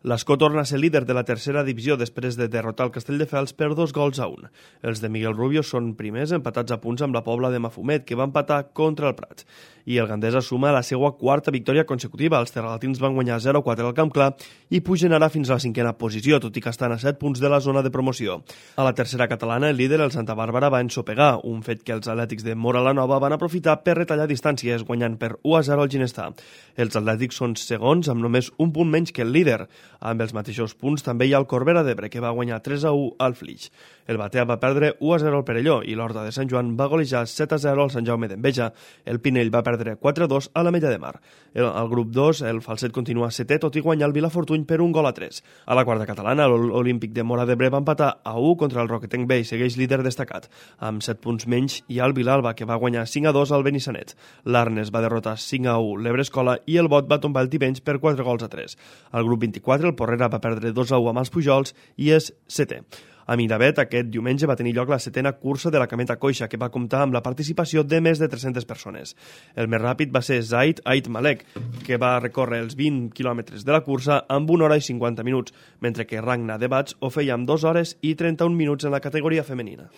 L'Escó torna a ser líder de la tercera divisió després de derrotar el Castelldefels per 2-1. Els de Miguel Rubio són primers, empatats a punts amb la Pobla de Mafumet, que va empatar contra el Prat. I el Gandesa suma la seva quarta victòria consecutiva. Els terralatins van guanyar 0-4 al Camp Clar i pugen ara fins a la cinquena posició, tot i que estan a 7 punts de la zona de promoció. A la tercera catalana, el líder, el Santa Bàrbara, va ensopegar, un fet que els atlètics de Móra la Nova van aprofitar per retallar distàncies, guanyant per 1-0 al Ginestà. Els atlètics són segons amb només un punt menys que el líder. Amb els mateixos punts també hi ha el Corbera d'Ebre, que va guanyar 3-1 al Flix. El Batea va perdre 1-0 al Perelló i l'Horta de Sant Joan va golejar 7-0 al Sant Jaume d'Enveja. El Pinell va perdre 4-2 a l'Ametlla de Mar. Al grup 2, el Falset continua setè, tot i guanyar el Vilafortuny per 1-3. A la quarta catalana, l'Olímpic de Móra d'Ebre va empatar a 1 contra el Roquetenc B i segueix líder destacat. Amb 7 punts menys hi ha el Vilalba, que va guanyar 5-2 al Benissanet. L'Arnes va derrotar 5-1 l'Ebrescola i el Bot va tombar el Tivenys per 4-3. Al grup 24, el Porrera va perdre 2-1 amb els Pujols i és setè. A Miravet, aquest diumenge va tenir lloc la setena cursa de la Cameta Coixa, que va comptar amb la participació de més de 300 persones. El més ràpid va ser Zaid Ait Malek, que va recórrer els 20 quilòmetres de la cursa amb 1 hora i 50 minuts, mentre que Ragna Debats ho feia amb 2 hores i 31 minuts en la categoria femenina.